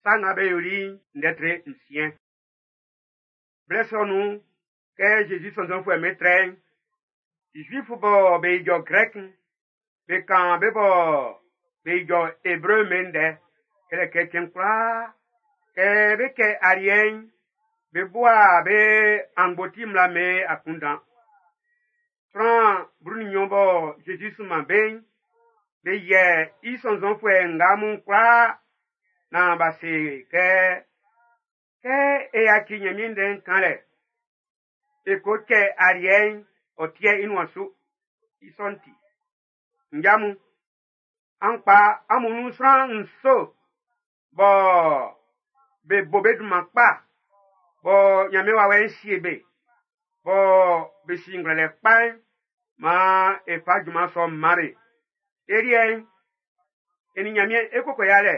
Sa Nga Be Yoli'n ndɛ tre 6. Blɛ sɔ nun'n, kɛ Zezi sɔnnzɔnfuɛ'm be trɛ'n, Zuifu bɔ be ijɔ Grɛk'n, be kan be bɔ be ijɔ Ebre'n be ndɛ, kɛlɛ kɛ cɛn kwlaa, kɛ be kɛ aliɛ'n, be bua be angboti mmla'm be akunndan. Sran 12 bɔ Zezi sunman be'n, be yɛ i sɔnnzɔnfuɛ nga mun kwlaa naan b'a se kɛ, kɛ e yaci Ɲanmiɛn ndɛ'n kanlɛ, e ko cɛ aliɛ'n, ɔ tiɛ i nuan su. I sɔ'n ti, nja mun, an kpa amun nun sran 7 bɔ be bo be dunman kpa, bɔ Ɲanmiɛn wawɛ'n sie be, bɔ be si ngwlɛlɛ kpa'n, maan e fa junman sɔ'n man be. E liɛ'n, e nin Ɲanmiɛn e koko yalɛ,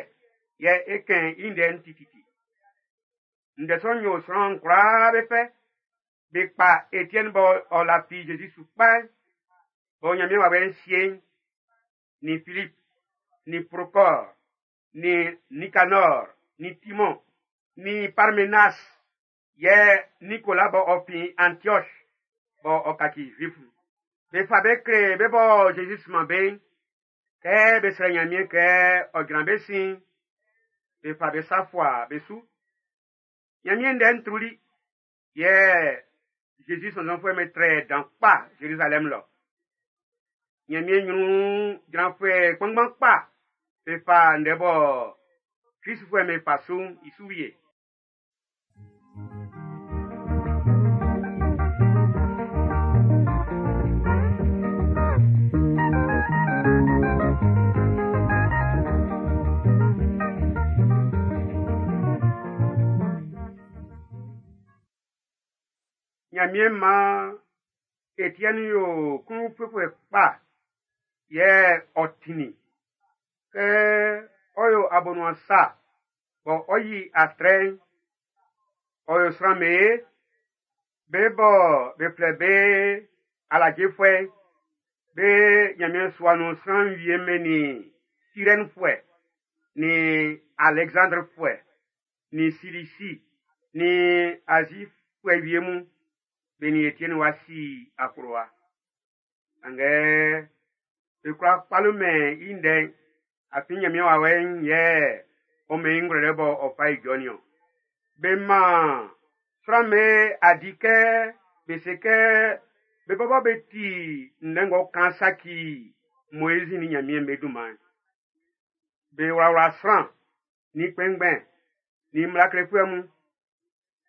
yɛ e kɛn i ndɛ'n tititi. Ndɛ sɔ'n yo sran kwlaa be fɛ. Be kpa Etiɛni bɔ ɔ lafi Zezi su kpa'n, bɔ Ɲanmiɛn wawɛ'n sie i'n, nin Filip, nin Prokɔr, nin Nikanɔr, nin Timɔn, nin Parmenas, yɛ Nikola bɔ ɔ fin Antiɔs bɔ ɔ kaci Zuifu. Be fa be kle be bɔ Zezi sunman be'n, kɛ be srɛ Ɲanmiɛn kɛ ɔ jran be sin, be fa be sa fua be su. Ɲanmiɛn ndɛ'n truli, yɛ Zezi sɔnnzɔnfuɛ'm be trɛ dan kpa Zerizalɛm lɔ. Ɲanmiɛn ɲrun jranfuɛ kpanngban kpa be fa ndɛ bɔ Klistfuɛ'm be fa su'n i su wie. Ɲanmiɛn maan Etiɛni yo klun-ufuefuɛ kpa, yɛ ɔ tinnin. Kɛ ɔ yo abonuan sa, bɔ ɔ yi atrɛ'n, ɔ yo sran be, be bɔ be flɛ be alajefuɛ'n, be Ɲanmiɛn sua nun sran wie'm be nin Sirɛnfuɛ, nin Alɛksandrefuɛ, nin Silisi, nin Azifuɛ wie mun, be nin Etiɛni wa si akplowa. Sanngɛ be kwla kpalomɛn i ndɛ'n, afin Ɲanmiɛn wawɛ'n yɛ ɔ mɛn i ngwlɛlɛ bɔ ɔ fa ijɔ nin-ɔn. Be man sran'm be adi kɛ be se kɛ be bɔbɔ be ti ndɛ ng'ɔ kan saci Moizi nin Ɲanmiɛn be dunman'n. Be wlawla sran, nin kpɛnngbɛn, nin mmla klefuɛ mun,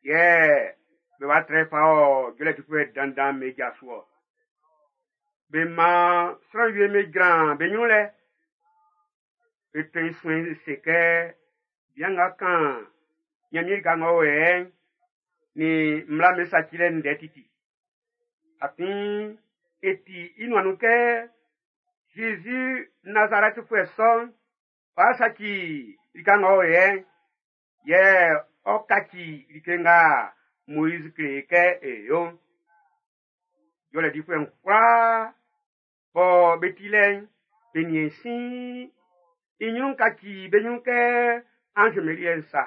yɛ be wa trɛ fa ɔ jɔlɛ difuɛ dandan be ja su ɔ. Be man sran wie be jran be ɲrun lɛ. Be tɔn i suɛn se kɛ bian nga kan Ɲanmiɛn lika ng'ɔ o yɛ'n, nin mmla'm be sacilɛ ndɛ titi. Afin e ti i nuan nun kɛ Zezi Nazarɛtifuɛ sɔ'n, ɔ'a saci lika ng'ɔ o yɛ'n, yɛ ɔ kaci like nga Moizi kle kɛ e yo'n. Jɔlɛ difuɛ'n kwlaa bɔ be ti lɛ'n, be niɛn sin i ɲrun kaci be ɲrun kɛ anz meliɛ'n sa.